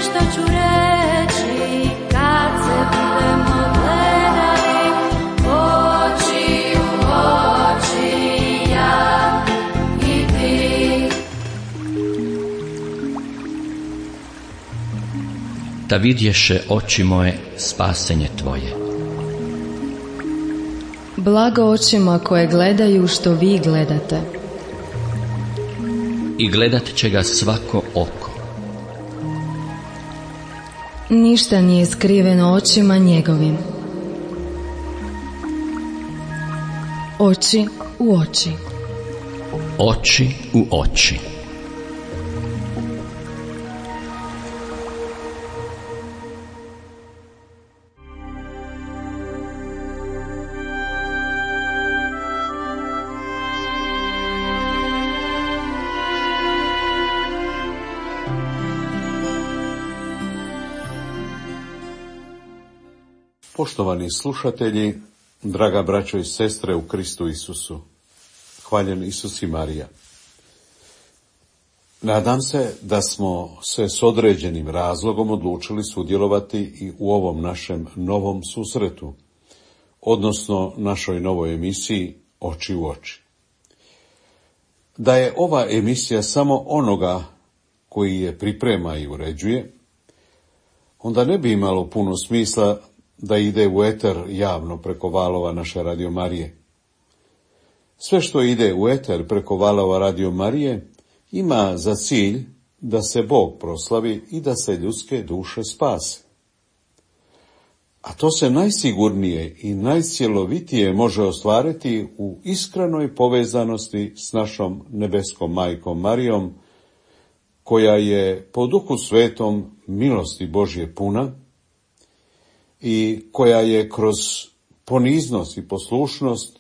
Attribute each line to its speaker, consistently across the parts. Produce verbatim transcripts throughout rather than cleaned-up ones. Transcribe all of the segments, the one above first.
Speaker 1: što ću reći kad se budemo gledali oči u oči, ja i ti.
Speaker 2: Da vidješe oči moje spasenje tvoje.
Speaker 3: Blago očima koje gledaju što vi gledate.
Speaker 2: I gledat će ga svako oko.
Speaker 3: Ništa nije skriveno očima njegovim. Oči u oči.
Speaker 2: Oči u oči.
Speaker 4: Poštovani slušatelji, draga braćo i sestre u Kristu Isusu, hvaljen Isus i Marija. Nadam se da smo se s određenim razlogom odlučili sudjelovati i u ovom našem novom susretu, odnosno našoj novoj emisiji Oči u oči. Da je ova emisija samo onoga koji je priprema i uređuje, onda ne bi imalo puno smisla da ide u eter javno preko valova naše Radio Marije. Sve što ide u eter preko valova Radio Marije ima za cilj da se Bog proslavi i da se ljudske duše spase. A to se najsigurnije i najcjelovitije može ostvariti u iskrenoj povezanosti s našom nebeskom majkom Marijom, koja je po Duhu Svetom milosti Božje puna i koja je kroz poniznost i poslušnost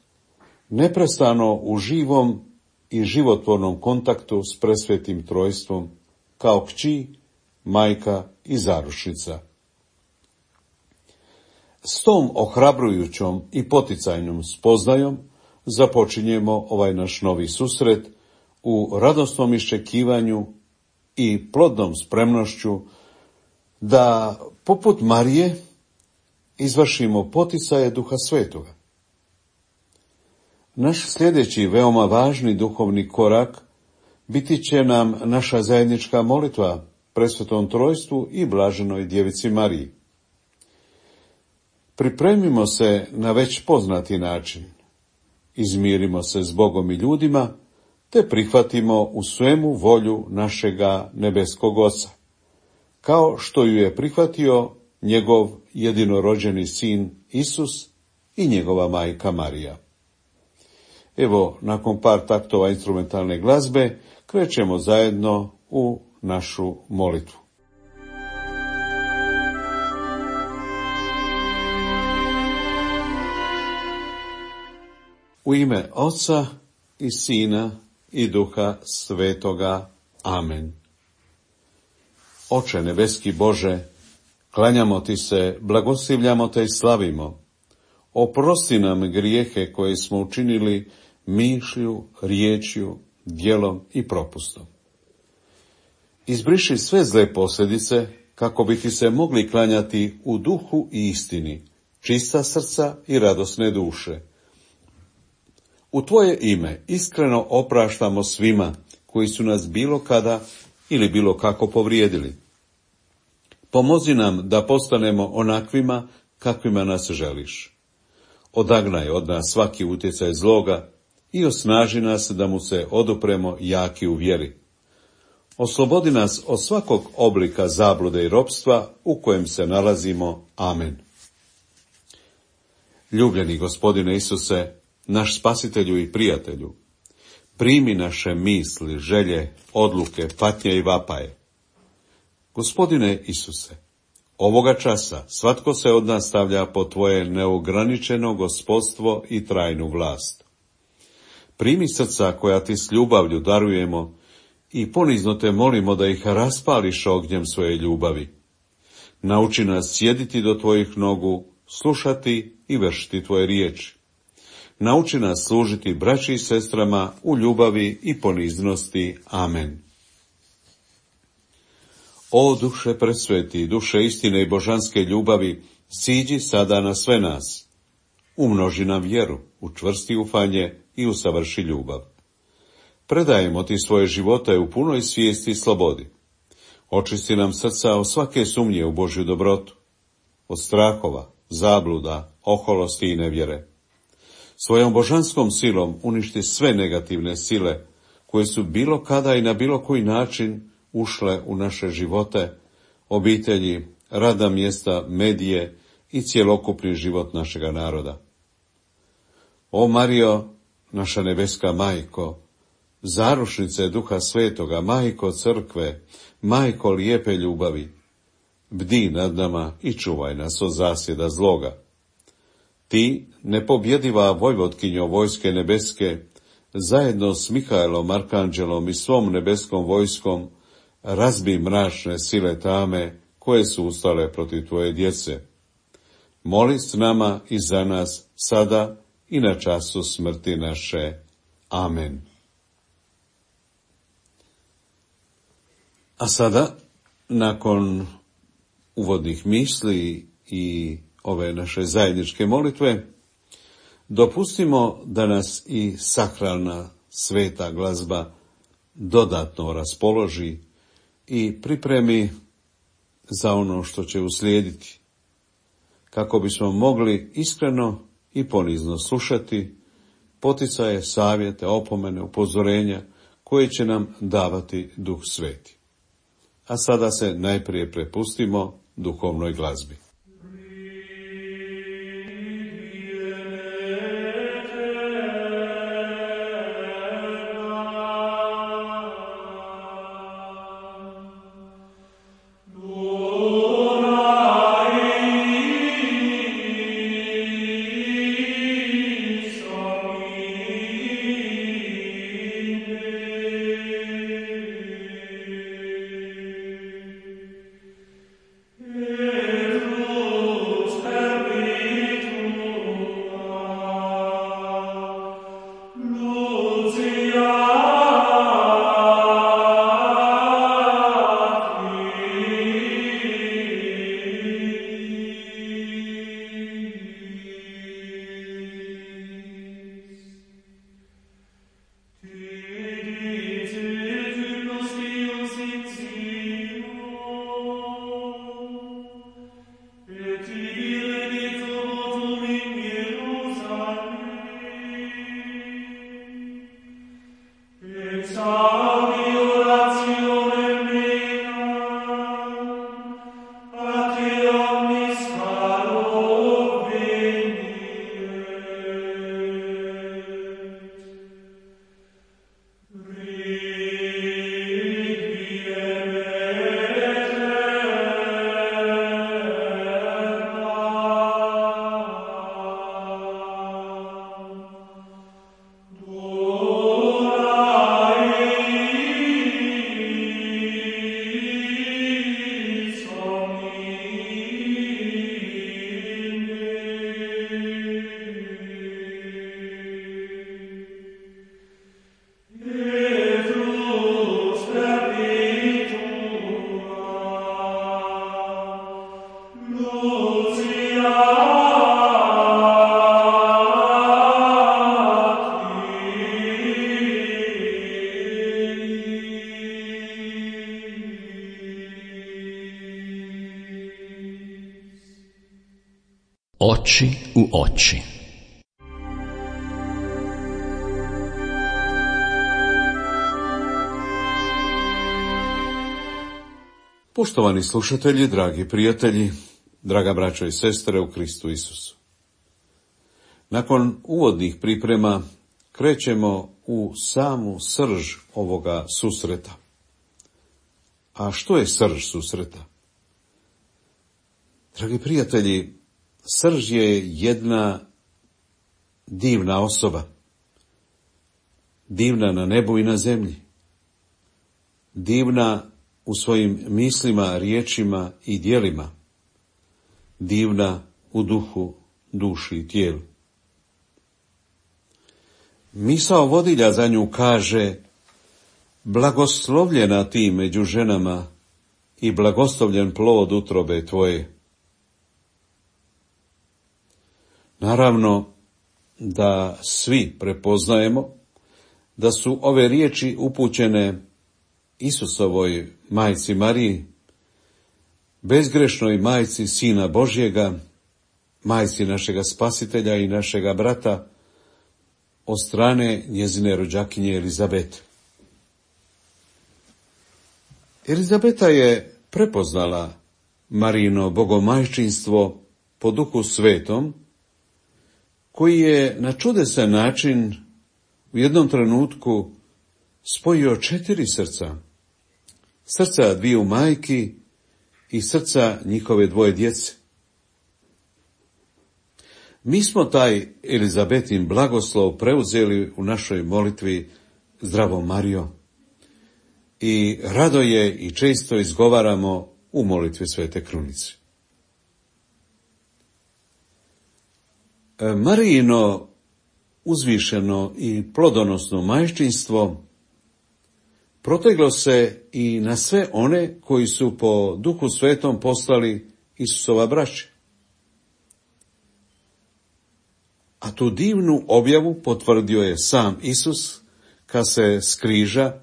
Speaker 4: neprestano u živom i životvornom kontaktu s presvetim trojstvom, kao kći, majka i zarušnica. S tom ohrabrujućom i poticajnom spoznajom započinjemo ovaj naš novi susret u radosnom iščekivanju i plodnom spremnošću da, poput Marije, izvršimo poticaje Duha Svetoga. Naš sljedeći veoma važni duhovni korak biti će nam naša zajednička molitva presvetom trojstvu i blaženoj djevici Mariji. Pripremimo se na već poznati način, izmirimo se s Bogom i ljudima, te prihvatimo u svemu volju našega nebeskog Oca, kao što ju je prihvatio njegov jedinorođeni sin Isus i njegova majka Marija. Evo, nakon par taktova instrumentalne glazbe, krećemo zajedno u našu molitvu. U ime Oca i Sina i Duha Svetoga. Amen. Oče nebeski Bože, klanjamo ti se, blagoslivljamo te i slavimo. Oprosti nam grijehe koje smo učinili mišlju, riječju, djelom i propustom. Izbriši sve zle posljedice, kako bi ti se mogli klanjati u duhu i istini, čista srca i radosne duše. U tvoje ime iskreno opraštamo svima koji su nas bilo kada ili bilo kako povrijedili. Pomozi nam da postanemo onakvima kakvima nas želiš. Odagnaj od nas svaki utjecaj zloga i osnaži nas da mu se odupremo jaki u vjeri. Oslobodi nas od svakog oblika zablude i ropstva u kojem se nalazimo. Amen. Ljubljeni Gospodine Isuse, naš spasitelju i prijatelju, primi naše misli, želje, odluke, patnje i vapaje. Gospodine Isuse, ovoga časa svatko se od nas stavlja pod tvoje neograničeno gospodstvo i trajnu vlast. Primi srca koja ti s ljubavlju darujemo i ponizno te molimo da ih raspališ ognjem svoje ljubavi. Nauči nas sjediti do tvojih nogu, slušati i vršiti tvoje riječi. Nauči nas služiti braći i sestrama u ljubavi i poniznosti. Amen. O duše presveti, duše istine i božanske ljubavi, siđi sada na sve nas. Umnoži nam vjeru, učvrsti ufanje i usavrši ljubav. Predajemo ti svoje živote u punoj svijesti i slobodi. Očisti nam srca od svake sumnje u Božju dobrotu, od strahova, zabluda, oholosti i nevjere. Svojom božanskom silom uništi sve negativne sile koje su bilo kada i na bilo koji način ušle u naše živote, obitelji, radna mjesta, medije i cjelokupni život našega naroda. O Marijo, naša nebeska majko, zarušnice Duha Svetoga, majko crkve, majko lijepe ljubavi, bdi nad nama i čuvaj nas od zasjeda zloga. Ti, nepobjediva vojvotkinjo vojske nebeske, zajedno s Mihajlom, arkanđelom i svom nebeskom vojskom, razbi mračne sile tame koje su ustale protiv tvoje djece. Moli s nama i za nas sada i na času smrti naše. Amen. A sada, nakon uvodnih misli i ove naše zajedničke molitve, dopustimo da nas i sakralna sveta glazba dodatno raspoloži i pripremi za ono što će uslijediti, kako bismo mogli iskreno i ponizno slušati poticaje, savjete, opomene, upozorenja koje će nam davati Duh Sveti. A sada se najprije prepustimo duhovnoj glazbi.
Speaker 2: Oči u oči.
Speaker 4: Poštovani slušatelji, dragi prijatelji, draga braćo i sestre u Kristu Isusu. Nakon uvodnih priprema krećemo u samu srž ovoga susreta. A što je srž susreta? Dragi prijatelji, srž je jedna divna osoba, divna na nebu i na zemlji, divna u svojim mislima, riječima i djelima, divna u duhu, duši i tijelu. Misao vodilja za nju kaže: blagoslovljena ti među ženama i blagoslovljen plod utrobe tvoje. Naravno da svi prepoznajemo da su ove riječi upućene Isusovoj majci Mariji, bezgrešnoj majci Sina Božjega, majci našega Spasitelja i našega brata, od strane njezine rođakinje Elizabete. Elizabeta je prepoznala Marijino bogomajčinstvo po Duhu Svetom, koji je na čudesan način u jednom trenutku spojio četiri srca. Srca dviju majki i srca njihove dvoje djece. Mi smo taj Elizabetin blagoslov preuzeli u našoj molitvi Zdravo Marijo i rado je i često izgovaramo u molitvi Svete Krunice. Marijino uzvišeno i plodonosno majčinstvo proteglo se i na sve one koji su po Duhu Svetom postali Isusova braća. A tu divnu objavu potvrdio je sam Isus kad se s križa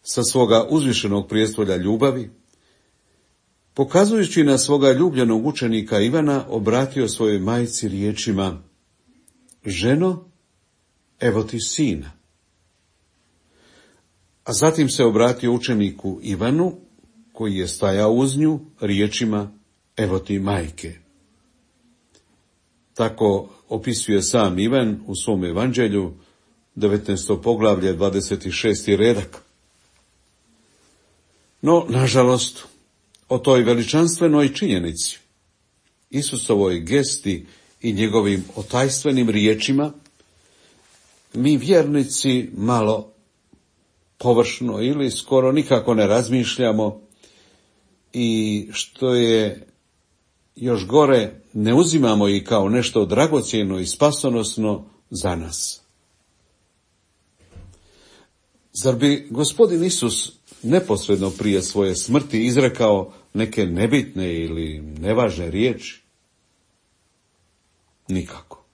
Speaker 4: sa svoga uzvišenog prijestolja ljubavi, pokazujući na svoga ljubljenog učenika Ivana, obratio svojoj majci riječima: ženo, evo ti sina. A zatim se obratio učeniku Ivanu, koji je stajao uz nju, riječima: evo ti majke. Tako opisuje sam Ivan u svom evanđelju, devetnaesto poglavlje, dvadeset šesti redak. No, nažalost, o toj veličanstvenoj činjenici, Isusovoj gesti i njegovim otajstvenim riječima, mi vjernici malo površno ili skoro nikako ne razmišljamo i, što je još gore, ne uzimamo ih kao nešto dragocjeno i spasonosno za nas. Zar bi Gospodin Isus neposredno prije svoje smrti izrekao neke nebitne ili nevažne riječi? Nikako.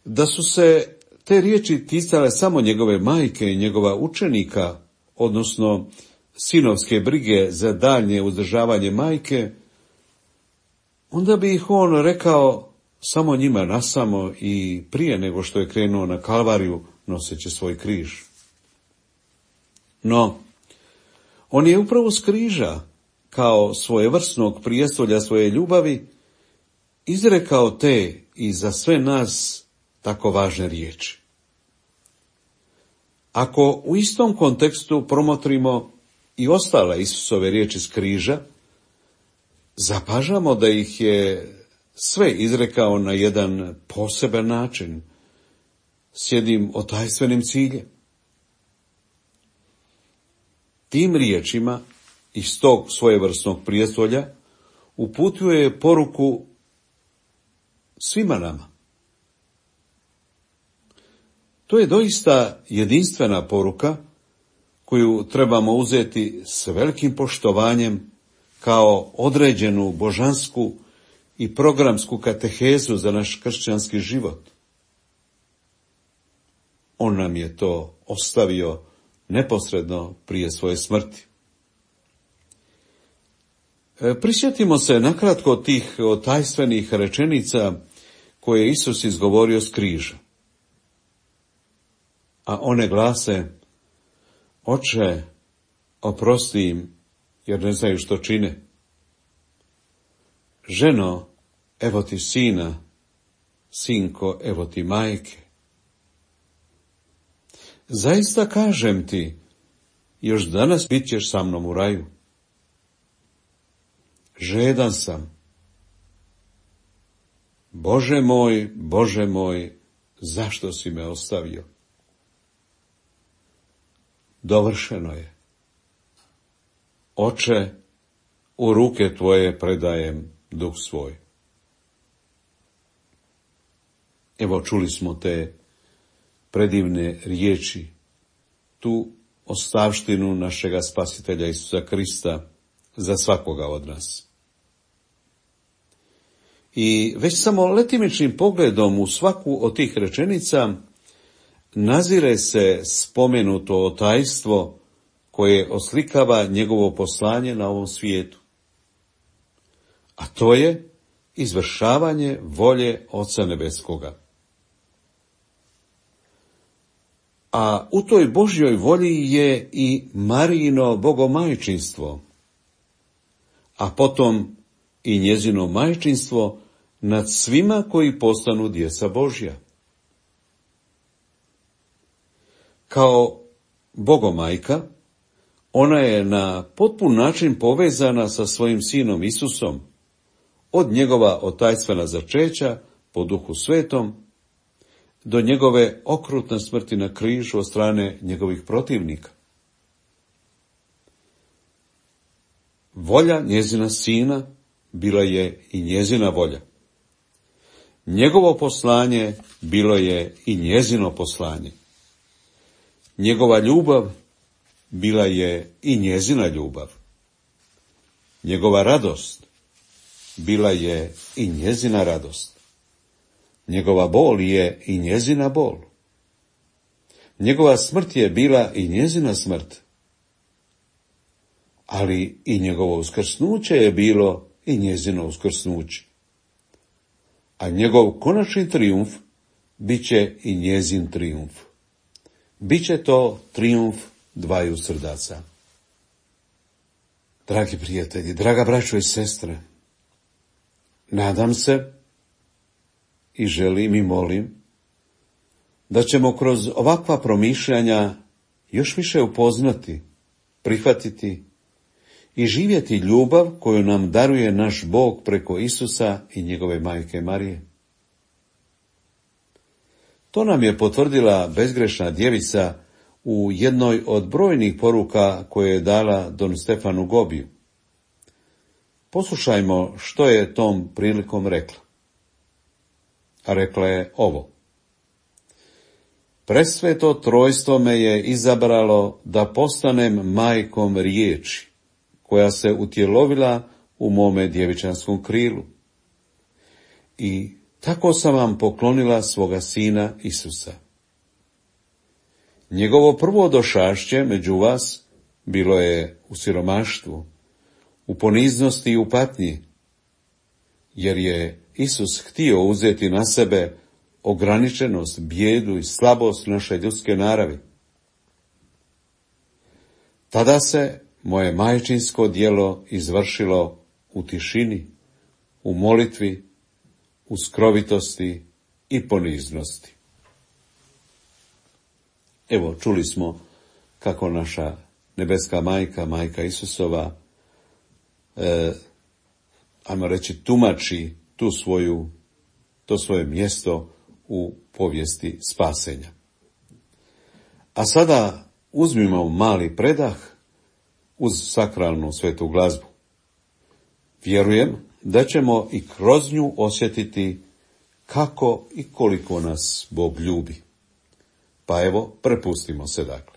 Speaker 4: Da su se te riječi ticale samo njegove majke i njegova učenika, odnosno sinovske brige za daljnje uzdržavanje majke, onda bi ih on rekao samo njima nasamo i prije nego što je krenuo na Kalvariju noseći svoj križ. No, on je upravo s križa, kao svojevrsnog prijestolja svoje ljubavi, izrekao te i za sve nas tako važne riječi. Ako u istom kontekstu promotrimo i ostale Isusove riječi s križa, zapažamo da ih je sve izrekao na jedan poseban način, s jednim otajstvenim ciljem. Tim riječima iz tog svojevrsnog prijestolja uputio je poruku svima nama. To je doista jedinstvena poruka koju trebamo uzeti s velikim poštovanjem kao određenu božansku i programsku katehezu za naš kršćanski život. On nam je to ostavio neposredno prije svoje smrti. Prisjetimo se nakratko tih otajstvenih rečenica koje je Isus izgovorio s križa. A one glase: Oče, oprosti im, jer ne znaju što čine. Ženo, evo ti sina, sinko, evo ti majke. Zaista kažem ti, još danas bit ćeš sa mnom u raju. Žedan sam. Bože moj, Bože moj, zašto si me ostavio? Dovršeno je. Oče, u ruke tvoje predajem duh svoj. Evo, čuli smo te predivne riječi, tu ostavštinu našega Spasitelja Isusa Krista za svakoga od nas. I već samo letimičnim pogledom u svaku od tih rečenica nazire se spomenuto tajstvo koje oslikava njegovo poslanje na ovom svijetu. A to je izvršavanje volje Oca Nebeskoga. A u toj Božjoj volji je i Marijino bogomajčinstvo, a potom i njezino majčinstvo nad svima koji postanu djeca Božja. Kao bogomajka, ona je na potpun način povezana sa svojim sinom Isusom, od njegova otajstvena začeća po Duhu Svetom, do njegove okrutne smrti na križu od strane njegovih protivnika. Volja njezina sina bila je i njezina volja. Njegovo poslanje bilo je i njezino poslanje. Njegova ljubav bila je i njezina ljubav. Njegova radost bila je i njezina radost. Njegova bol je i njezina bol. Njegova smrt je bila i njezina smrt. Ali i njegovo uskrsnuće je bilo i njezino uskrsnuće. A njegov konačni trijumf bit će i njezin trijumf. Biće to trijumf dvaju srdaca. Dragi prijatelji, draga braćo i sestre, nadam se i želim i molim da ćemo kroz ovakva promišljanja još više upoznati, prihvatiti i živjeti ljubav koju nam daruje naš Bog preko Isusa i njegove majke Marije. To nam je potvrdila bezgrešna djevica u jednoj od brojnih poruka koje je dala Don Stefanu Gobiju. Poslušajmo što je tom prilikom rekla. A rekla je ovo: Presveto trojstvo me je izabralo da postanem majkom riječi, koja se utjelovila u mome djevičanskom krilu. I tako sam vam poklonila svoga sina Isusa. Njegovo prvo došašće među vas bilo je u siromaštvu, u poniznosti i u patnji, jer je Isus htio uzeti na sebe ograničenost, bijedu i slabost naše ljudske naravi. Tada se moje majčinsko djelo izvršilo u tišini, u molitvi, u skrovitosti i poniznosti. Evo, čuli smo kako naša nebeska majka, majka Isusova, e, ajmo reći, tumači tu svoju, to svoje mjesto u povijesti spasenja. A sada uzmimo mali predah uz sakralnu svetu glazbu. Vjerujem da ćemo i kroz nju osjetiti kako i koliko nas Bog ljubi. Pa evo, prepustimo se dakle.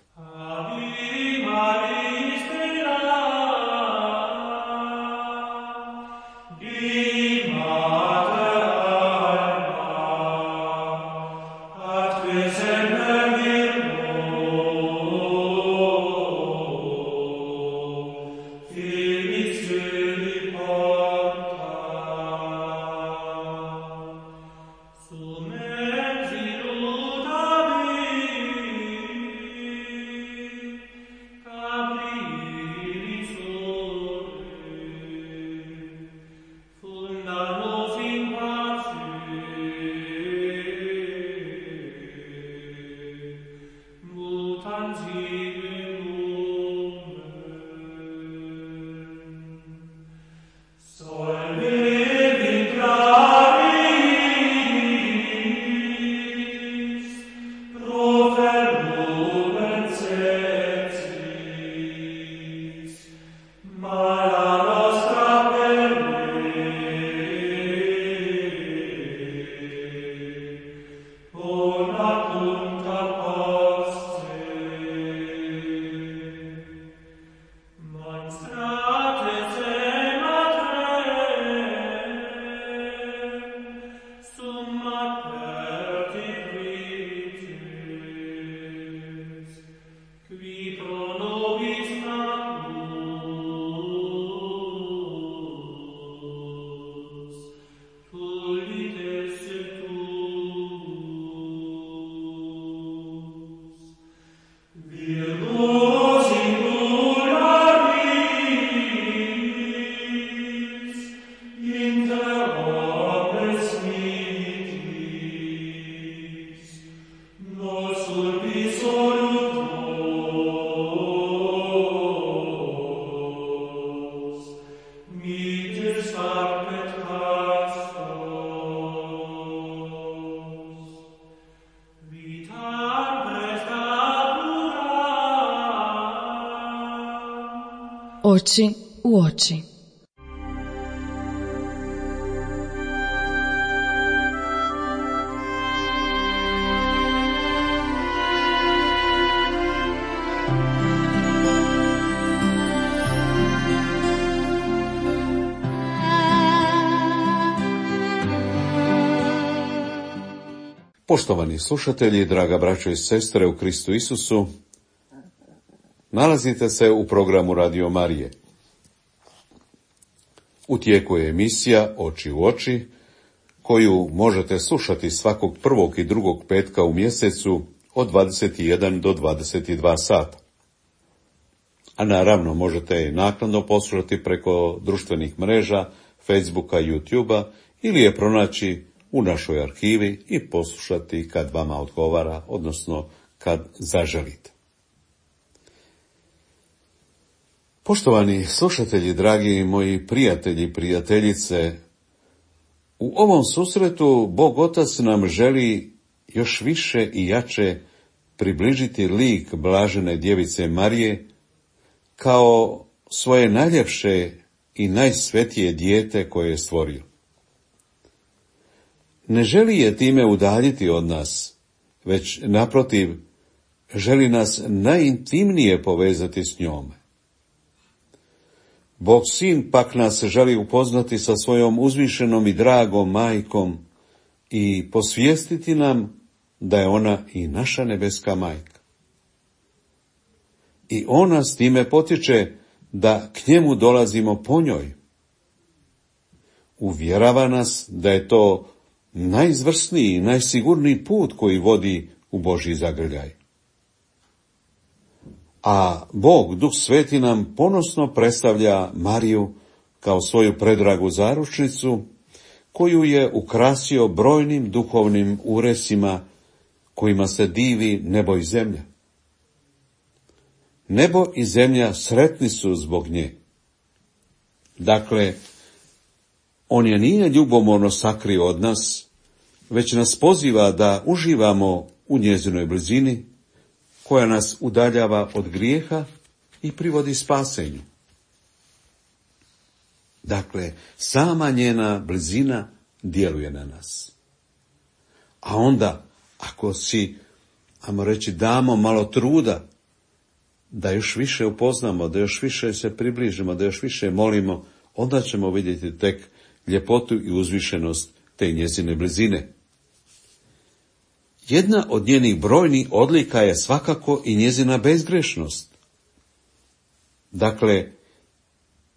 Speaker 3: Oči u oči.
Speaker 4: Poštovani slušatelji, draga braćo i sestre u Kristu Isusu, nalazite se u programu Radio Marije. U tijeku je emisija Oči u oči, koju možete slušati svakog prvog i drugog petka u mjesecu od dvadeset jedan do dvadeset dva sata. A naravno možete je naknadno poslušati preko društvenih mreža, Facebooka, YouTubea ili je pronaći u našoj arhivi i poslušati kad vama odgovara, odnosno kad zaželite. Poštovani slušatelji, dragi moji prijatelji i prijateljice, u ovom susretu Bog Otac nam želi još više i jače približiti lik blažene djevice Marije kao svoje najljepše i najsvetije dijete koje je stvorio. Ne želi je time udaljiti od nas, već naprotiv želi nas najintimnije povezati s njome. Bog Sin pak nas želi upoznati sa svojom uzvišenom i dragom majkom i posvijestiti nam da je ona i naša nebeska majka. I on nas time potiče da k njemu dolazimo po njoj. Uvjerava nas da je to najizvrsniji i najsigurniji put koji vodi u Božji zagrljaj. A Bog, Duh Sveti, nam ponosno predstavlja Mariju kao svoju predragu zaručnicu, koju je ukrasio brojnim duhovnim uresima kojima se divi nebo i zemlja. Nebo i zemlja sretni su zbog nje. Dakle, on je nije ljubomorno sakrio od nas, već nas poziva da uživamo u njezinoj blizini, koja nas udaljava od grijeha i privodi spasenju. Dakle, sama njena blizina djeluje na nas. A onda, ako si, ajmo reći, damo malo truda, da još više upoznamo, da još više se približimo, da još više molimo, onda ćemo vidjeti tek ljepotu i uzvišenost te njezine blizine. Jedna od njenih brojnih odlika je svakako i njezina bezgrešnost. Dakle,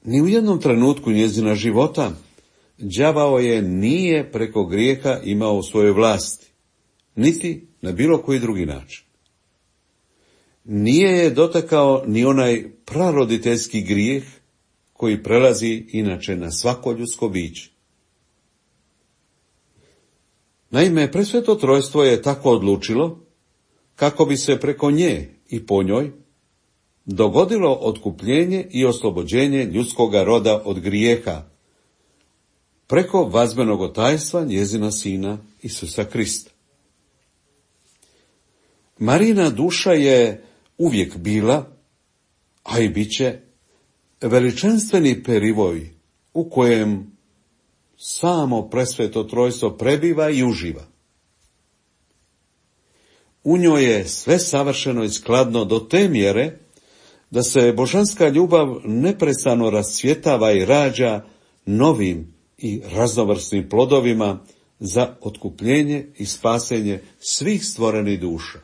Speaker 4: ni u jednom trenutku njezina života đavao je nije preko grijeha imao u svojoj vlasti, niti na bilo koji drugi način. Nije je dotakao ni onaj praroditeljski grijeh koji prelazi inače na svako ljudsko biće. Naime, presveto trojstvo je tako odlučilo kako bi se preko nje i po njoj dogodilo otkupljenje i oslobođenje ljudskoga roda od grijeha preko vazbenog tajstva njezina Sina Isusa Krista. Marijina duša je uvijek bila, a i bit će, veličanstveni perivoj u kojem samo presveto trojstvo prebiva i uživa. U njoj je sve savršeno i skladno do te mjere da se božanska ljubav neprestano rascvjetava i rađa novim i raznovrsnim plodovima za otkupljenje i spasenje svih stvorenih duša.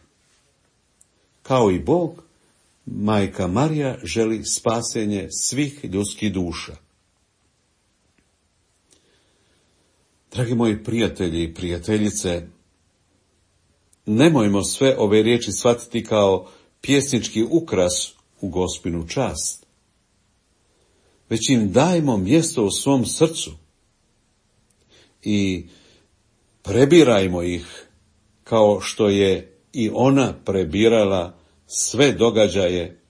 Speaker 4: Kao i Bog, Majka Marija želi spasenje svih ljudskih duša. Dragi moji prijatelji i prijateljice, nemojmo sve ove riječi shvatiti kao pjesnički ukras u Gospinu čast, već im dajmo mjesto u svom srcu i prebirajmo ih kao što je i ona prebirala sve događaje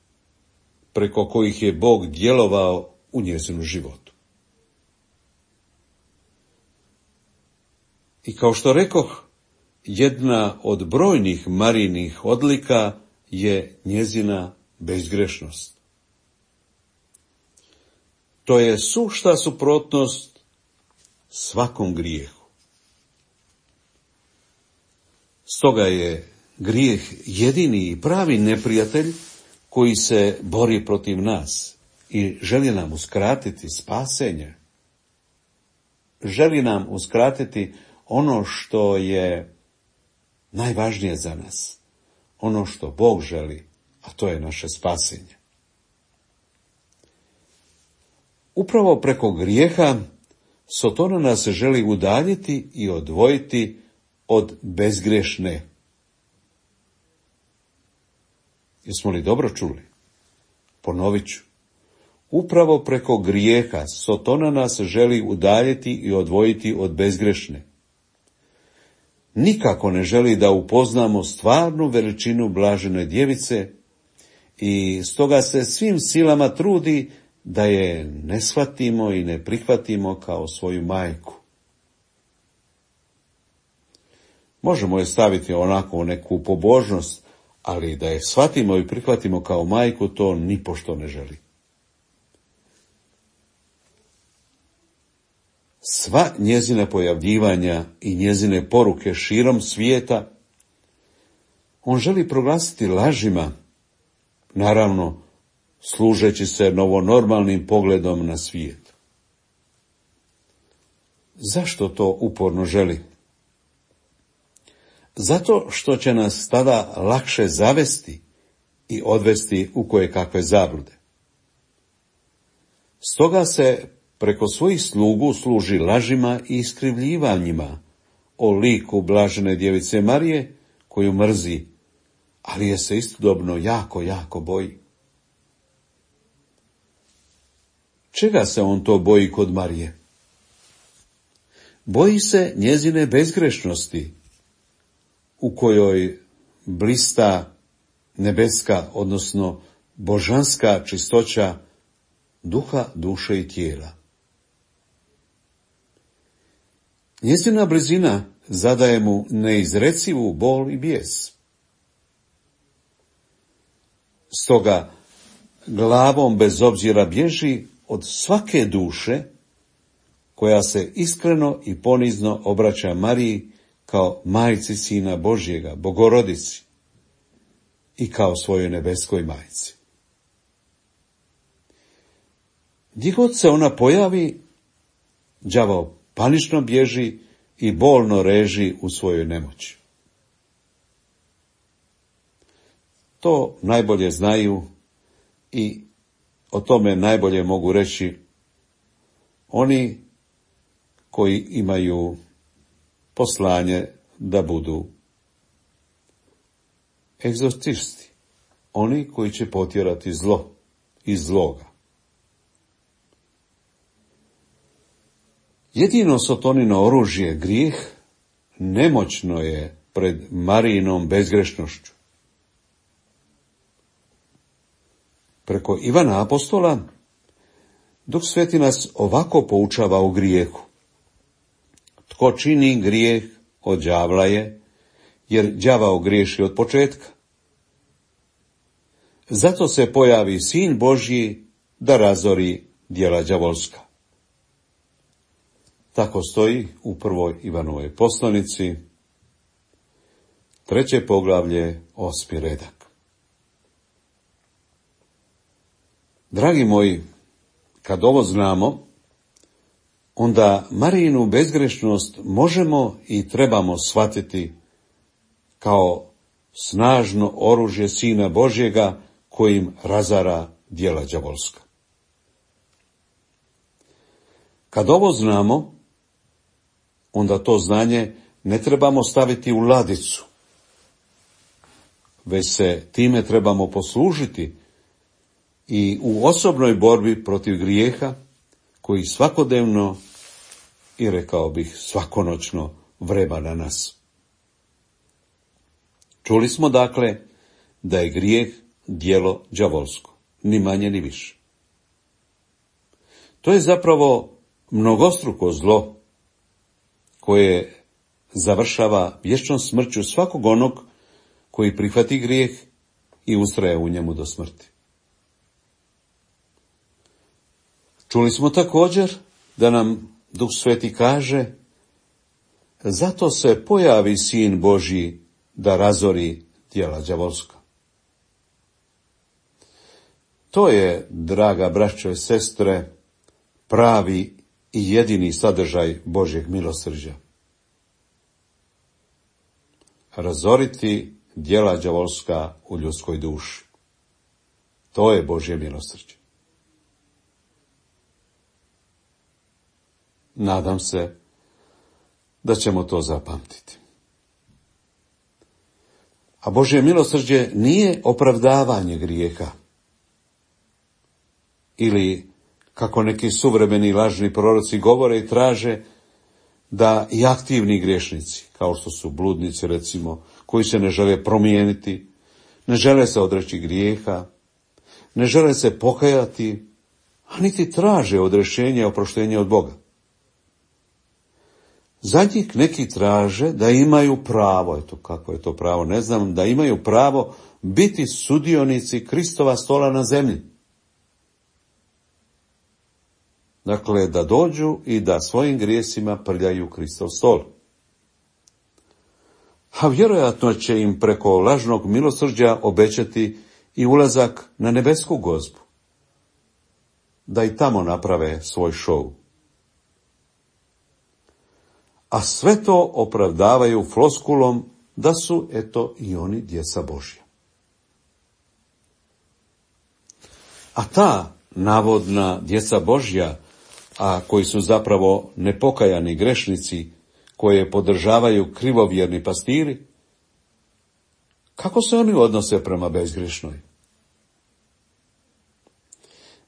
Speaker 4: preko kojih je Bog djelovao u njezinu životu. I kao što rekoh, jedna od brojnih Marijinih odlika je njezina bezgrešnost. što je sušta suprotnost svakom grijehu. Stoga je grijeh jedini i pravi neprijatelj koji se bori protiv nas i želi nam uskratiti spasenje. Želi nam uskratiti ono što je najvažnije za nas, ono što Bog želi, a to je naše spasenje. Upravo preko grijeha Sotona nas želi udaljiti i odvojiti od bezgrešne. Jesmo li dobro čuli? Ponovit ću. Upravo preko grijeha Sotona nas želi udaljiti i odvojiti od bezgrešne. Nikako ne želi da upoznamo stvarnu veličinu blažene djevice i stoga se svim silama trudi da je ne shvatimo i ne prihvatimo kao svoju majku. Možemo je staviti onako u neku pobožnost, ali da je shvatimo i prihvatimo kao majku, to nipošto ne želi. Sva njezina pojavljivanja i njezine poruke širom svijeta on želi proglasiti lažima, naravno služeći se novonormalnim pogledom na svijet. Zašto to uporno želi? Zato što će nas tada lakše zavesti i odvesti u kojekakve zablude. Stoga se preko svojih slugu služi lažima i iskrivljivanjima o liku blažene djevice Marije, koju mrzi, ali je se istodobno jako, jako boji. Čega se on to boji kod Marije? Boji se njezine bezgrešnosti, u kojoj blista nebeska, odnosno božanska čistoća duha, duše i tijela. Njezina blizina zadaje mu neizrecivu bol i bijes. Stoga glavom bez obzira bježi od svake duše koja se iskreno i ponizno obraća Mariji kao majci Sina Božjega, Bogorodici i kao svojoj nebeskoj majci. Gdje god se ona pojavi, đavao panično bježi i bolno reži u svojoj nemoći. To najbolje znaju i o tome najbolje mogu reći oni koji imaju poslanje da budu egzorcisti, oni koji će potjerati zlo iz zloga. Jedino Sotonino oružje, grijeh, nemoćno je pred Marijinom bezgrešnošću. Preko Ivana Apostola, Duh Sveti nas ovako poučava u grijehu. Tko čini grijeh od đavla je, jer đavao griješi od početka. Zato se pojavi Sin Božji da razori djela đavolska. Tako stoji u prvoj Ivanovoj poslanici, treće poglavlje, osmi redak. Dragi moji, kad ovo znamo, onda Marijinu bezgrešnost možemo i trebamo shvatiti kao snažno oružje Sina Božjega kojim razara djela đavolska. Kad ovo znamo, onda to znanje ne trebamo staviti u ladicu, već se time trebamo poslužiti i u osobnoj borbi protiv grijeha koji svakodnevno i rekao bih svakonoćno vreba na nas. Čuli smo dakle da je grijeh djelo đavolsko, ni manje ni više. To je zapravo mnogostruko zlo koje završava vječnom smrću svakog onog koji prihvati grijeh i ustraje u njemu do smrti. Čuli smo također da nam Duh Sveti kaže: zato se pojavi Sin Božji da razori djela đavolska. To je, draga braćo i sestre, pravi i jedini sadržaj Božjeg milosrđa. Razoriti djela đavolska u ljudskoj duši. To je Božje milosrđe. Nadam se da ćemo to zapamtiti. A Božje milosrđe nije opravdavanje grijeha. Ili, kako neki suvremeni lažni proroci govore i traže, da i aktivni griješnici, kao što su bludnici recimo, koji se ne žele promijeniti, ne žele se odreći grijeha, ne žele se pokajati, a niti traže odrešenje i oproštenje od Boga. Za njih neki traže da imaju pravo, eto kako je to pravo, ne znam, da imaju pravo biti sudionici Kristova stola na zemlji. Dakle, da dođu i da svojim grijesima prljaju Kristov stol. A vjerojatno će im preko lažnog milosrđa obećati i ulazak na nebesku gozbu, da i tamo naprave svoj šou. A sve to opravdavaju floskulom da su, eto, i oni djeca Božja. A ta navodna djeca Božja, a koji su zapravo nepokajani grešnici, koje podržavaju krivovjerni pastiri, kako se oni odnose prema bezgrešnoj?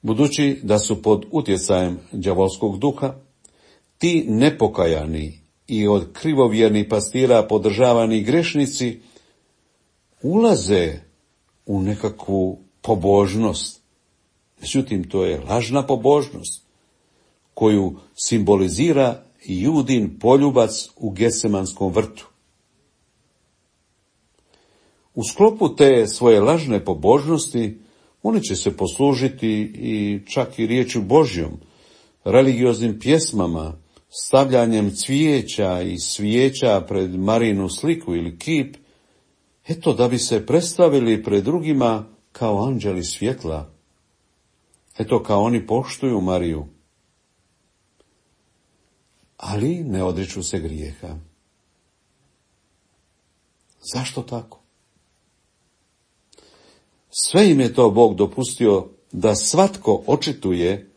Speaker 4: Budući da su pod utjecajem đavolskog duha, ti nepokajani i od krivovjernih pastira podržavani grešnici ulaze u nekakvu pobožnost. Međutim, to je lažna pobožnost koju simbolizira Judin poljubac u Getsemanskom vrtu. U sklopu te svoje lažne pobožnosti oni će se poslužiti i čak i riječju Božjom, religioznim pjesmama, stavljanjem cvijeća i svijeća pred Marinu sliku ili kip, eto da bi se predstavili pred drugima kao anđeli svjetla. Eto kao oni poštuju Mariju. Ali ne odriču se grijeha. Zašto tako? Sve im je to Bog dopustio da svatko očituje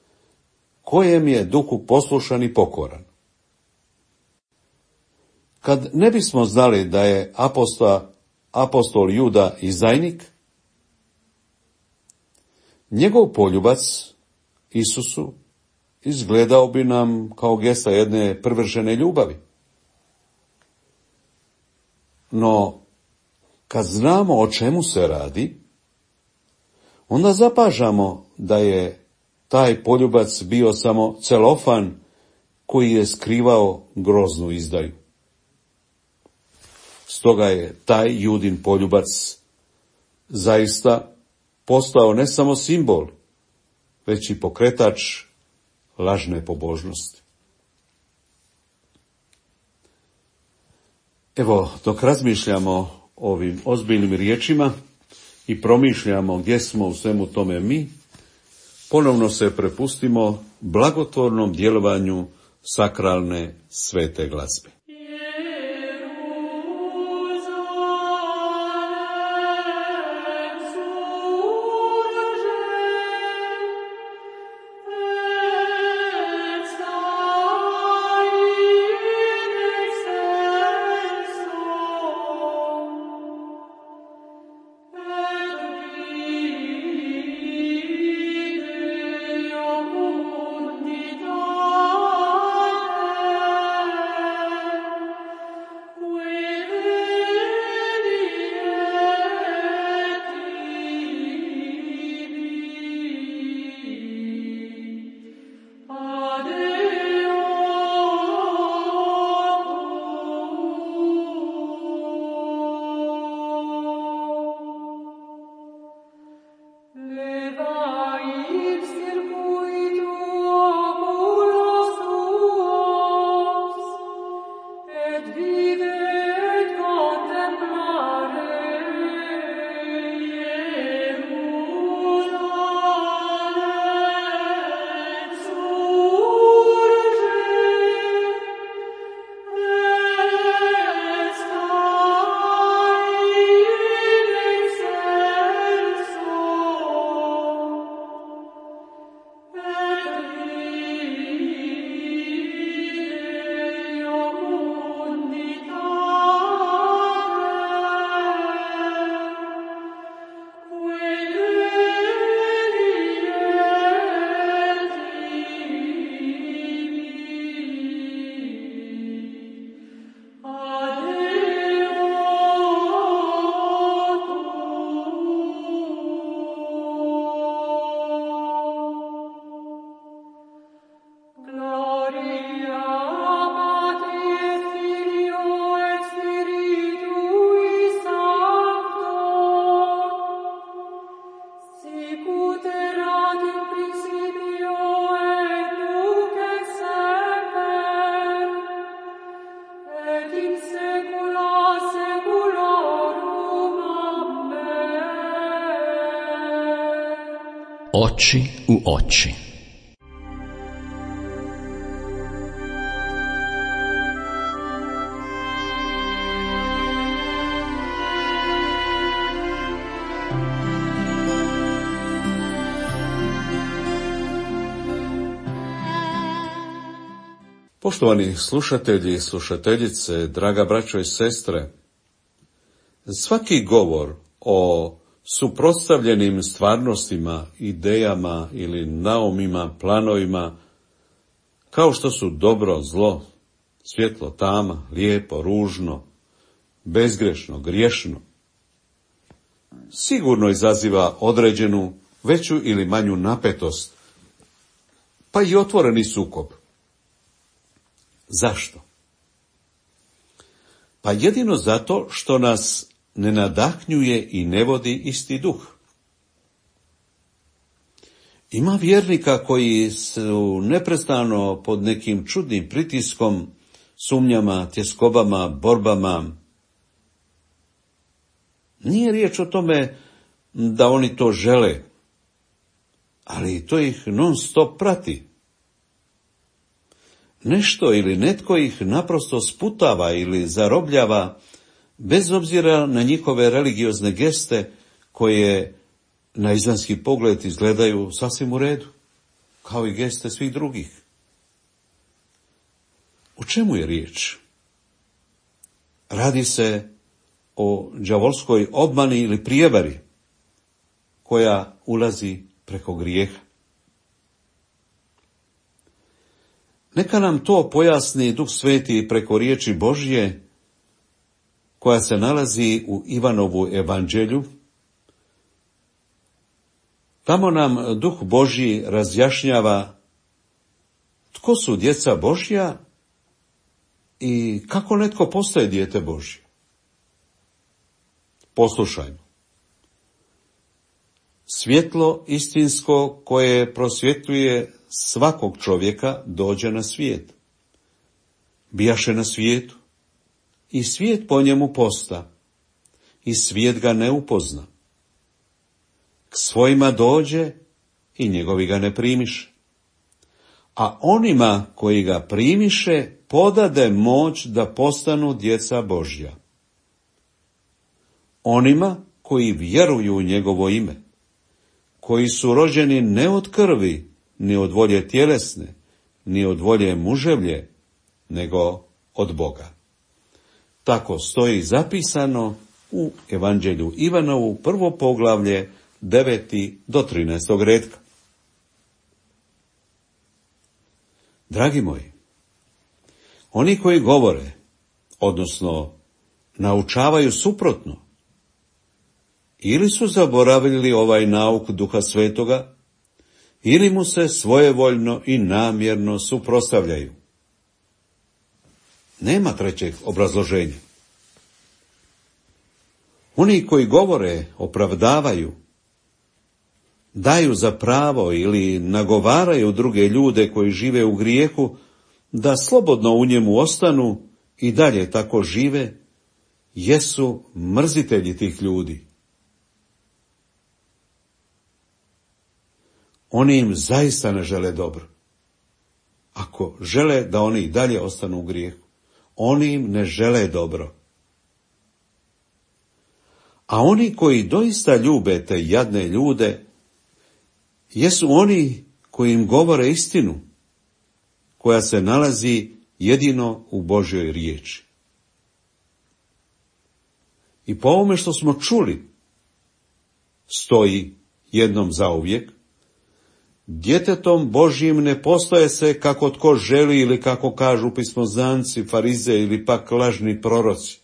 Speaker 4: kojem je duhu poslušan i pokoran. Kad ne bismo znali da je apostol, apostol Juda izdajnik, njegov poljubac Isusu izgledao bi nam kao gesta jedne prvršene ljubavi. No, kad znamo o čemu se radi, onda zapažamo da je taj poljubac bio samo celofan koji je skrivao groznu izdaju. Stoga je taj Judin poljubac zaista postao ne samo simbol, već i pokretač lažne pobožnosti. Evo, dok razmišljamo o ovim ozbiljnim riječima i promišljamo gdje smo u svemu tome mi, ponovno se prepustimo blagotvornom djelovanju sakralne svete glazbe.
Speaker 2: Oči u oči.
Speaker 4: Poštovani slušatelji i slušateljice, draga braćo i sestre, svaki govor o suprotstavljenim stvarnostima, idejama ili naumima, planovima, kao što su dobro, zlo, svjetlo, tama, lijepo, ružno, bezgrešno, griješno, sigurno izaziva određenu veću ili manju napetost, pa i otvoreni sukob. Zašto? Pa jedino zato što nas ne nadahnjuje i ne vodi isti duh. Ima vjernika koji su neprestano pod nekim čudnim pritiskom, sumnjama, tjeskobama, borbama. Nije riječ o tome da oni to žele, ali to ih non stop prati. Nešto ili netko ih naprosto sputava ili zarobljava, bez obzira na njihove religiozne geste koje na izvanjski pogled izgledaju sasvim u redu, kao i geste svih drugih. O čemu je riječ? Radi se o đavolskoj obmani ili prijevari koja ulazi preko grijeha. Neka nam to pojasni Duh Sveti preko riječi Božje, koja se nalazi u Ivanovu evanđelju. Tamo nam Duh Božji razjašnjava tko su djeca Božja i kako netko postaje dijete Božje. Poslušajmo. Svjetlo istinsko koje prosvjetljuje svakog čovjeka dođe na svijet. Bijaše na svijetu i svijet po njemu posta i svijet ga ne upozna. K svojima dođe i njegovi ga ne primiše. A onima koji ga primiše podade moć da postanu djeca Božja. Onima koji vjeruju u njegovo ime, koji su rođeni ne od krvi, ni od volje tjelesne, ni od volje muževlje, nego od Boga. Tako stoji zapisano u Evanđelju Ivanovu, prvo poglavlje, deveti do trinaestog redka. Dragi moji, oni koji govore, odnosno naučavaju suprotno, ili su zaboravili ovaj nauk Duha Svetoga, ili mu se svojevoljno i namjerno suprotstavljaju. Nema trećeg obrazloženja. Oni koji govore, opravdavaju, daju za pravo ili nagovaraju druge ljude koji žive u grijehu da slobodno u njemu ostanu i dalje tako žive, jesu mrzitelji tih ljudi. Oni im zaista ne žele dobro. Ako žele da oni i dalje ostanu u grijehu, oni im ne žele dobro. A oni koji doista ljube te jadne ljude, jesu oni koji im govore istinu, koja se nalazi jedino u Božjoj riječi. I po ovome što smo čuli, stoji jednom zauvijek, djetetom Božjim ne postaje se kako tko želi ili kako kažu pismozanci, farize ili pak lažni proroci,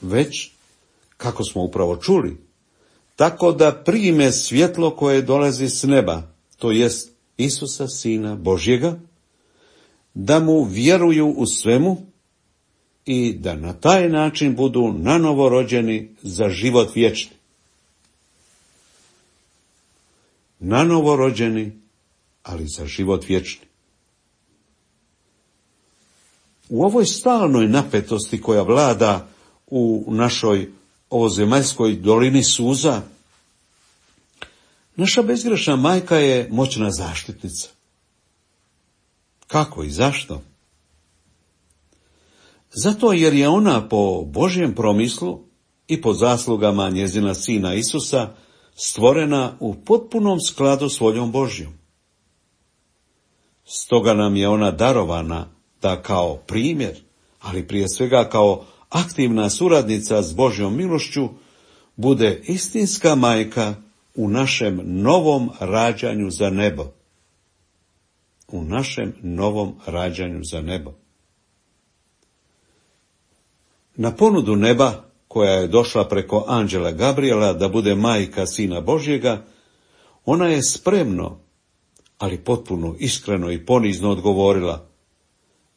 Speaker 4: već, kako smo upravo čuli, tako da prime svjetlo koje dolazi s neba, to jest Isusa, Sina Božjega, da mu vjeruju u svemu i da na taj način budu nanovo rođeni za život vječni. Nanovo rođeni, ali za život vječni. U ovoj stalnoj napetosti koja vlada u našoj ovozemaljskoj dolini suza, Naša bezgrešna majka je moćna zaštitnica. Kako i zašto? Zato jer je ona po Božjem promislu i po zaslugama njezina sina Isusa stvorena u potpunom skladu s voljom Božjom. Stoga nam je ona darovana da kao primjer, ali prije svega kao aktivna suradnica s Božjom milošću, bude istinska majka u našem novom rađanju za nebo. U našem novom rađanju za nebo. Na ponudu neba, koja je došla preko anđela Gabriela da bude majka Sina Božjega, ona je spremno, ali potpuno iskreno i ponizno odgovorila: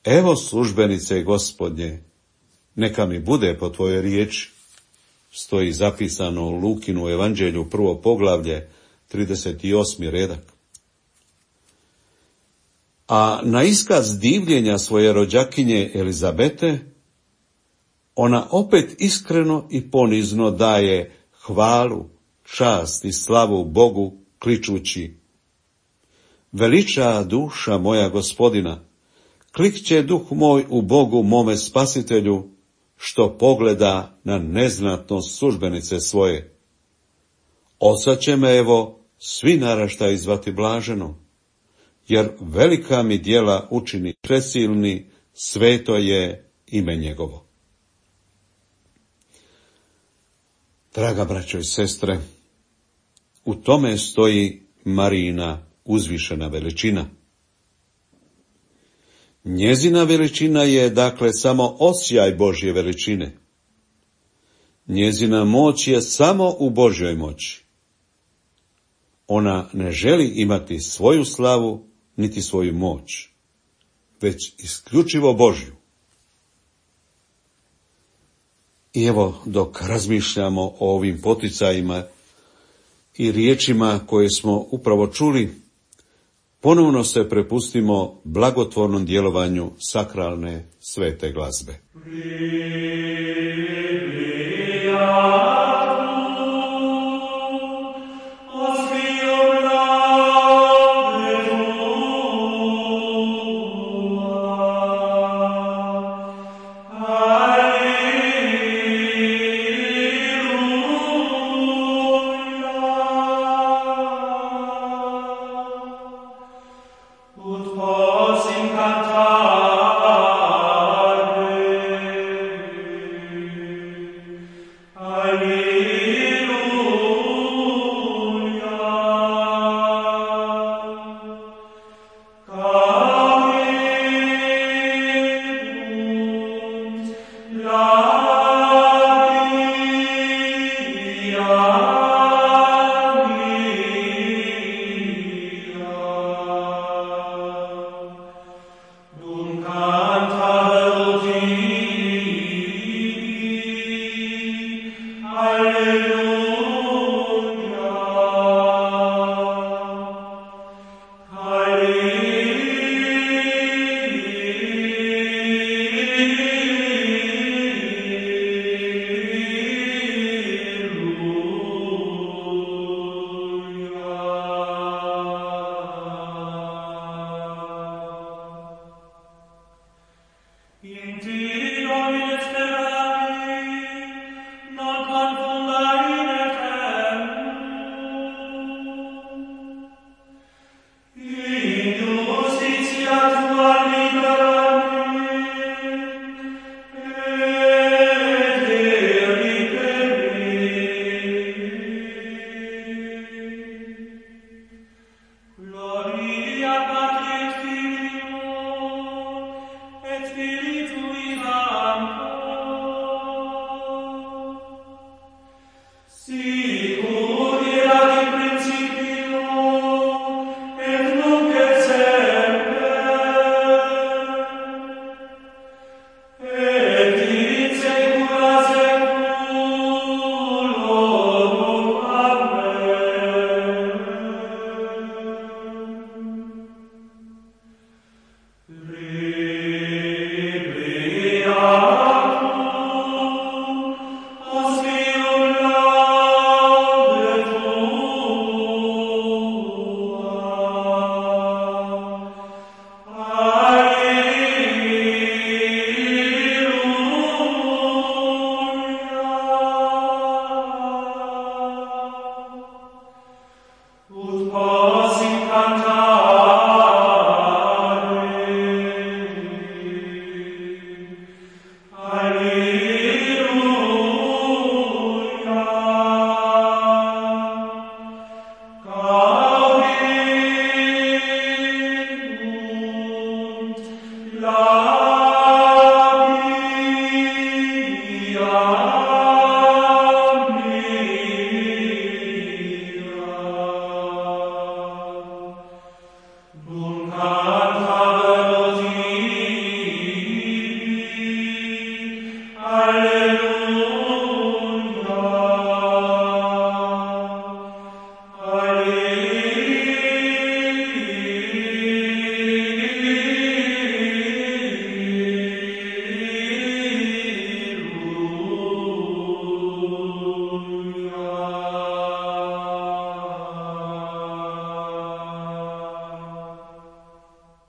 Speaker 4: evo službenice Gospodnje, neka mi bude po tvojoj riječi. Stoji zapisano u Lukinu evanđelju, prvo poglavlje, trideset osmi redak. A na iskaz divljenja svoje rođakinje Elizabete, ona opet iskreno i ponizno daje hvalu, čast i slavu Bogu, kličući: veliča duša moja Gospodina, klikće duh moj u Bogu mome spasitelju, što pogleda na neznatnost službenice svoje. Oca će me, evo, svi naraštaji zvati blaženo, jer velika mi djela učini presilni, sveto je ime njegovo. Draga braćo i sestre, u tome stoji Marijina uzvišena veličina. Njezina veličina je, dakle, samo osjaj Božje veličine. Njezina moć je samo u Božjoj moći. Ona ne želi imati svoju slavu, niti svoju moć, već isključivo Božju. I evo, dok razmišljamo o ovim poticajima i riječima koje smo upravo čuli, ponovno se prepustimo blagotvornom djelovanju sakralne svete glazbe.
Speaker 5: Alleluia.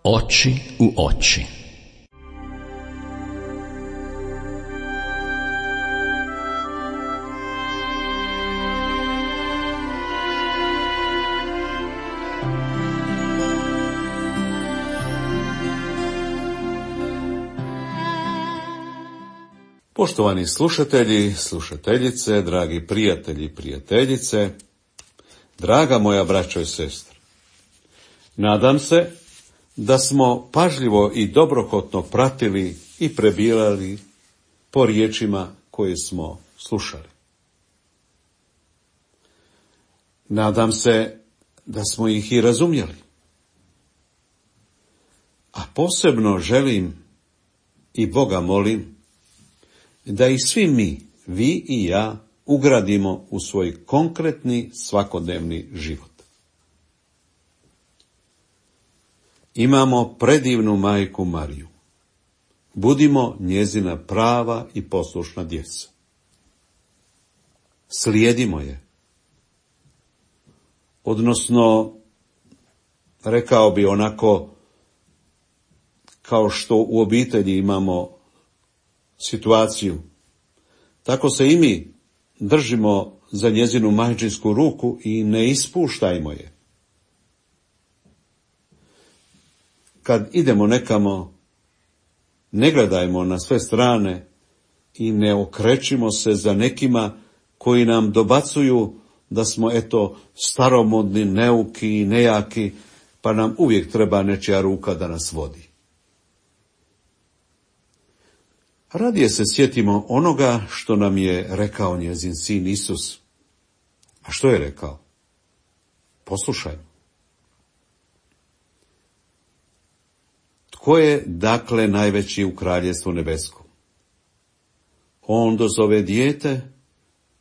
Speaker 2: Oči u oči.
Speaker 4: Poštovani slušatelji, slušateljice, dragi prijatelji i prijateljice, draga moja braćo i sestre, nadam se da smo pažljivo i dobrohotno pratili i prebirali po riječima koje smo slušali. Nadam se da smo ih i razumjeli. A posebno želim i Boga molim da i svi mi, vi i ja, ugradimo u svoj konkretni svakodnevni život. Imamo predivnu majku Mariju. Budimo njezina prava i poslušna djeca. Slijedimo je. Odnosno, rekao bi onako, kao što u obitelji imamo situaciju, tako se i mi držimo za njezinu majčinsku ruku i ne ispuštajmo je. Kad idemo nekamo, ne gledajmo na sve strane i ne okrećimo se za nekima koji nam dobacuju da smo, eto, staromodni, neuki i nejaki, pa nam uvijek treba nečija ruka da nas vodi. Radije se sjetimo onoga što nam je rekao njezin sin Isus. A što je rekao? Poslušajmo. Tko je, dakle, najveći u kraljevstvu nebeskom? On dozove dijete,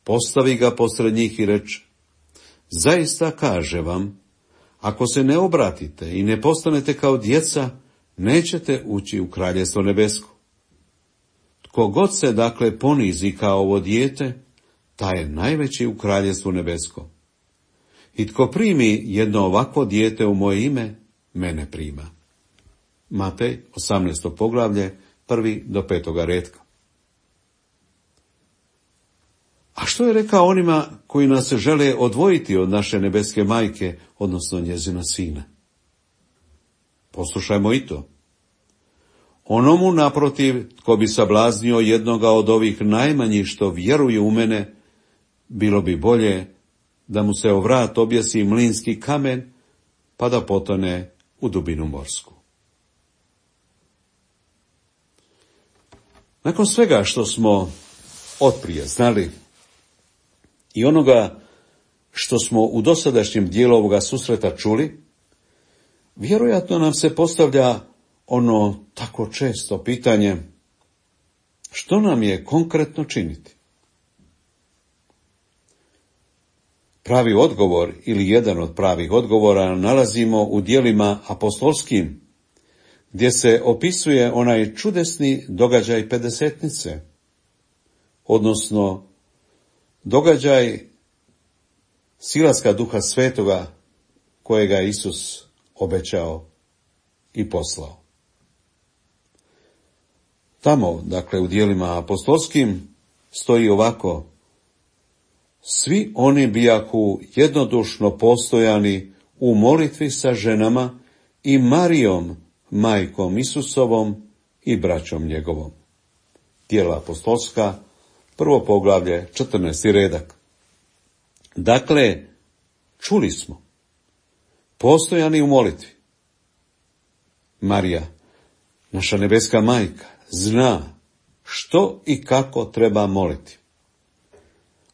Speaker 4: postavi ga posred njih i reče: zaista kaže vam, ako se ne obratite i ne postanete kao djeca, nećete ući u kraljevstvo nebesko. Tko god se, dakle, ponizi kao ovo dijete, taj je najveći u kraljevstvu nebesko. I tko primi jedno ovakvo dijete u moje ime, mene prima. Matej, osamnaesto poglavlje, prvi do petoga retka. A što je rekao onima koji nas se žele odvojiti od naše nebeske majke, odnosno njezina sina? Poslušajmo i to. Onomu, naprotiv, tko bi sablaznio jednoga od ovih najmanjih što vjeruju u mene, bilo bi bolje da mu se o vrat objesi mlinski kamen, pa da potone u dubinu morsku. Nakon svega što smo otprije znali i onoga što smo u dosadašnjem dijelu ovoga susreta čuli, vjerojatno nam se postavlja ono tako često pitanje: što nam je konkretno činiti? Pravi odgovor ili jedan od pravih odgovora nalazimo u djelima apostolskim, gdje se opisuje onaj čudesni događaj pedesetnice, odnosno događaj silaska Duha Svetoga kojega je Isus obećao i poslao. Tamo, dakle, u djelima apostolskim stoji ovako: svi oni bijahu jednodušno postojani u molitvi sa ženama i Marijom, majkom Isusovom i braćom njegovom. Djela apostolska, prvo poglavlje, četrnaesti redak. Dakle, čuli smo, postojani u molitvi. Marija, naša nebeska majka, zna što i kako treba moliti.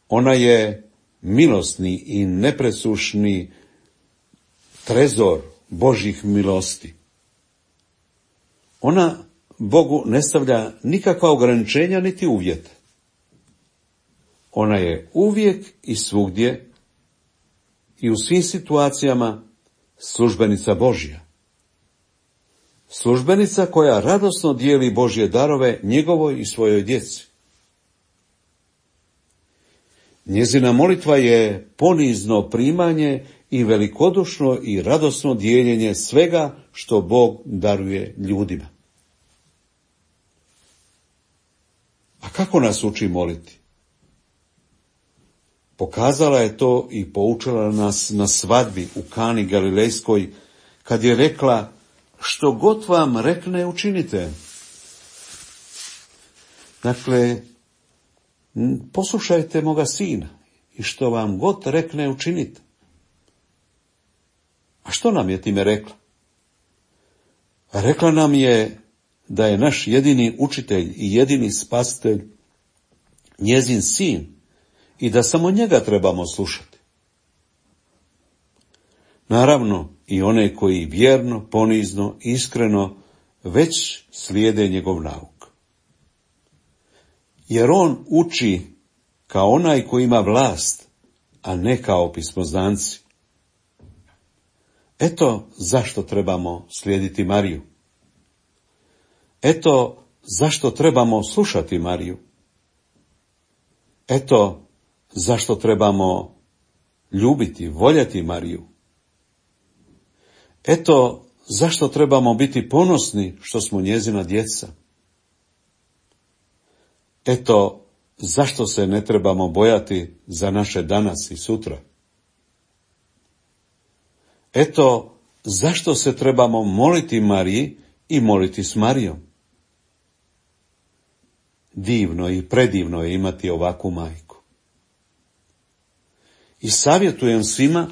Speaker 4: Ona je milosni i nepresušni trezor Božjih milosti. Ona Bogu ne stavlja nikakva ograničenja niti uvjete. Ona je uvijek i svugdje i u svim situacijama službenica Božja. Službenica koja radosno dijeli Božje darove njegovoj i svojoj djeci. Njezina molitva je ponizno primanje i velikodušno i radosno dijeljenje svega što Bog daruje ljudima. A kako nas uči moliti? Pokazala je to i poučila nas na svadbi u Kani Galilejskoj, kad je rekla: što god vam rekne, učinite. Dakle, poslušajte moga sina i što vam god rekne, učinite. A što nam je time rekla? Rekla nam je da je naš jedini učitelj i jedini spasitelj njezin sin i da samo njega trebamo slušati. Naravno, i one koji vjerno, ponizno, iskreno već slijede njegov nauk. Jer on uči kao onaj koji ima vlast, a ne kao pismoznanci. Eto zašto trebamo slijediti Mariju. Eto zašto trebamo slušati Mariju. Eto zašto trebamo ljubiti, voljeti Mariju. Eto zašto trebamo biti ponosni što smo njezina djeca. Eto zašto se ne trebamo bojati za naše danas i sutra. Eto zašto se trebamo moliti Mariji i moliti s Marijom. Divno i predivno je imati ovakvu majku. I savjetujem svima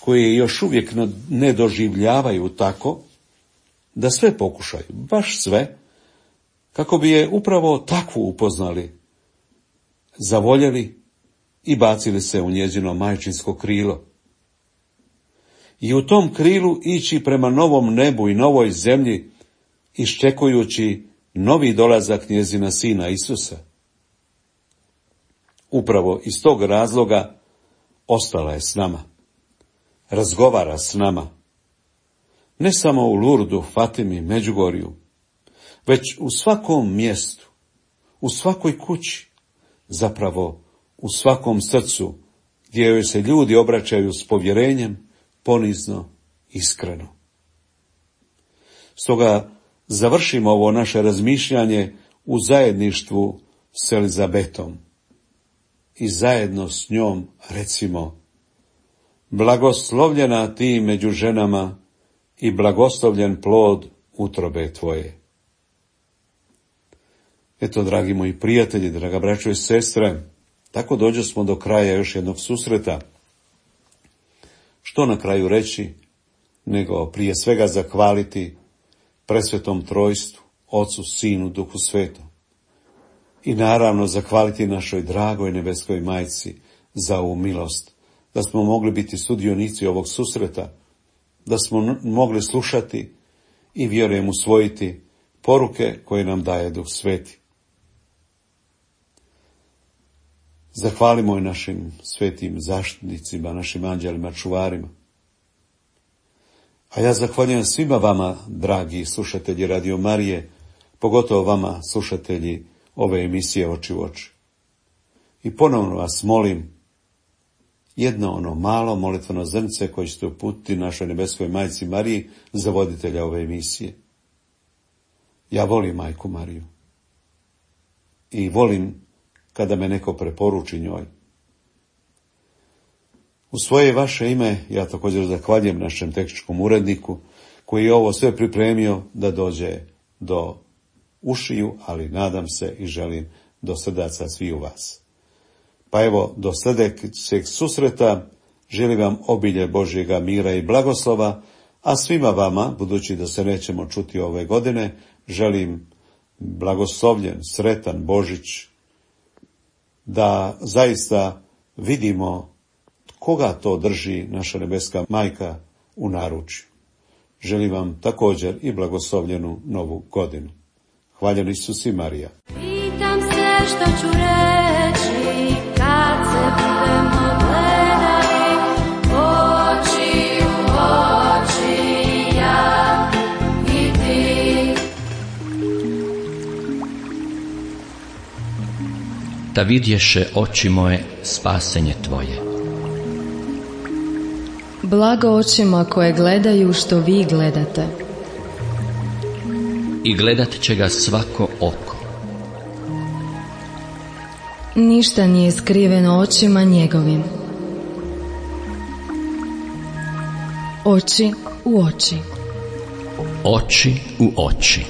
Speaker 4: koji je još uvijek ne doživljavaju tako, da sve pokušaju, baš sve, kako bi je upravo takvu upoznali, zavoljeli i bacili se u njezino majčinsko krilo. I u tom krilu ići prema novom nebu i novoj zemlji, iščekujući novi dolazak njezina sina Isusa. Upravo iz tog razloga ostala je s nama. Razgovara s nama. Ne samo u Lurdu, Fatimi, Međugorju, već u svakom mjestu, u svakoj kući, zapravo u svakom srcu, gdje joj se ljudi obraćaju s povjerenjem, ponizno, iskreno. Stoga završimo ovo naše razmišljanje u zajedništvu s Elizabetom i zajedno s njom recimo: blagoslovljena ti među ženama i blagoslovljen plod utrobe tvoje. Eto, dragi moji prijatelji, draga braćo i sestre, tako dođe smo do kraja još jednog susreta. Što na kraju reći, nego prije svega zahvaliti presvetom trojstvu, Ocu, Sinu, Duhu Svetom. I naravno zahvaliti našoj dragoj nebeskoj majci za ovu milost, da smo mogli biti sudionici ovog susreta, da smo mogli slušati i vjerujem usvojiti poruke koje nam daje Duh Sveti. Zahvalimo i našim svetim zaštitnicima, našim anđelima, čuvarima. A ja zahvaljujem svima vama, dragi slušatelji Radio Marije, pogotovo vama, slušatelji ove emisije Oči u oči. I ponovno vas molim, jedno ono malo molitveno zrnce koje ćete uputiti našoj nebeskoj majci Mariji za voditelja ove emisije. Ja volim majku Mariju. I volim kada me neko preporuči njoj. U svoje vaše ime ja također zahvaljujem našem tehničkom uredniku koji je ovo sve pripremio da dođe do ušiju, ali nadam se i želim do srdaca svi u vas. Pa evo, do sljedećeg susreta želim vam obilje Božjega mira i blagoslova, a svima vama, budući da se nećemo čuti ove godine, želim blagoslovljen, sretan Božić, da zaista vidimo koga to drži naša nebeska majka u naručju. želim vam također i blagoslovljenu novu godinu. Hvaljen Isus i Marija.
Speaker 1: Pitam se što ću reći kad se budemo gledali oči u oči, ja i ti.
Speaker 2: Da vidješe oči moje spasenje tvoje.
Speaker 3: Blago očima koje gledaju što vi gledate.
Speaker 2: I gledat će ga svako oko.
Speaker 3: Ništa nije skriveno očima njegovim. Oči u oči.
Speaker 2: Oči u oči.